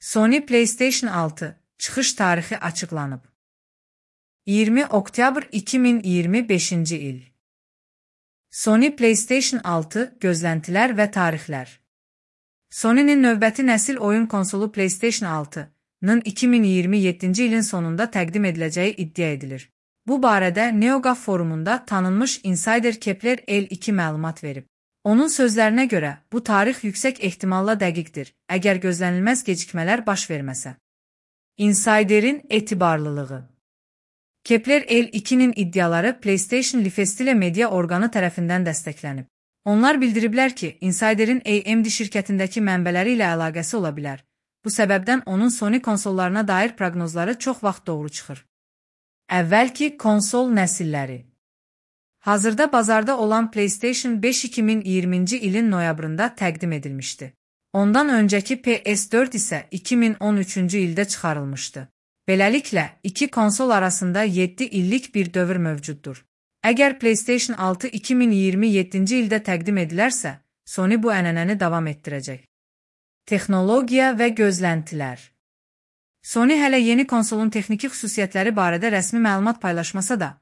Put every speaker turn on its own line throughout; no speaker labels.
Sony PlayStation 6 çıxış tarixi açıqlanıb. 20 oktyabr 2025-ci il. Sony PlayStation 6 gözləntilər və tarixlər. Sony'nin növbəti nəsil oyun konsolu PlayStation 6-nın 2027-ci ilin sonunda təqdim ediləcəyi iddia edilir. Bu barədə NeoGAF forumunda tanınmış insider Kepler L2 məlumat verib. Onun sözlərinə görə, bu tarix yüksək ehtimalla dəqiqdir, əgər gözlənilməz gecikmələr baş verməsə. Insiderin etibarlılığı. Kepler L2-nin iddiaları PlayStation Lifestyle media orqanı tərəfindən dəstəklənib. Onlar bildiriblər ki, Insiderin AMD şirkətindəki mənbələri ilə əlaqəsi ola bilər. Bu səbəbdən onun Sony konsollarına dair proqnozları çox vaxt doğru çıxır. Əvvəlki konsol nəsilləri. Hazırda bazarda olan PlayStation 5 2020-ci ilin noyabrında təqdim edilmişdi. Ondan öncəki PS4 isə 2013-cü ildə çıxarılmışdı. Beləliklə, iki konsol arasında 7 illik bir dövr mövcuddur. Əgər PlayStation 6 2027-ci ildə təqdim edilərsə, Sony bu ənənəni davam etdirəcək. Texnologiya və gözləntilər. Sony hələ yeni konsolun texniki xüsusiyyətləri barədə rəsmi məlumat paylaşmasa da,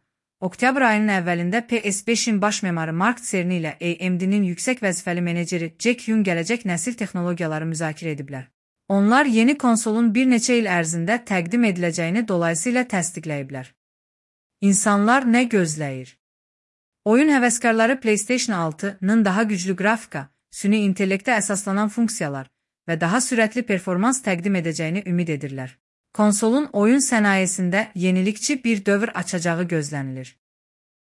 oktyabr ayının əvvəlində PS5-in baş memarı Mark Cerny ilə AMD-nin yüksək vəzifəli meneceri Jack Yun gələcək nəsil texnologiyaları müzakirə ediblər. Onlar yeni konsolun bir neçə il ərzində təqdim ediləcəyini dolayısıyla təsdiqləyiblər. İnsanlar nə gözləyir? Oyun həvəskarları PlayStation 6-nın daha güclü qrafika, süni intellektə əsaslanan funksiyalar və daha sürətli performans təqdim edəcəyini ümid edirlər. Konsolun oyun sənayesində yenilikçi bir dövr açacağı gözlənilir.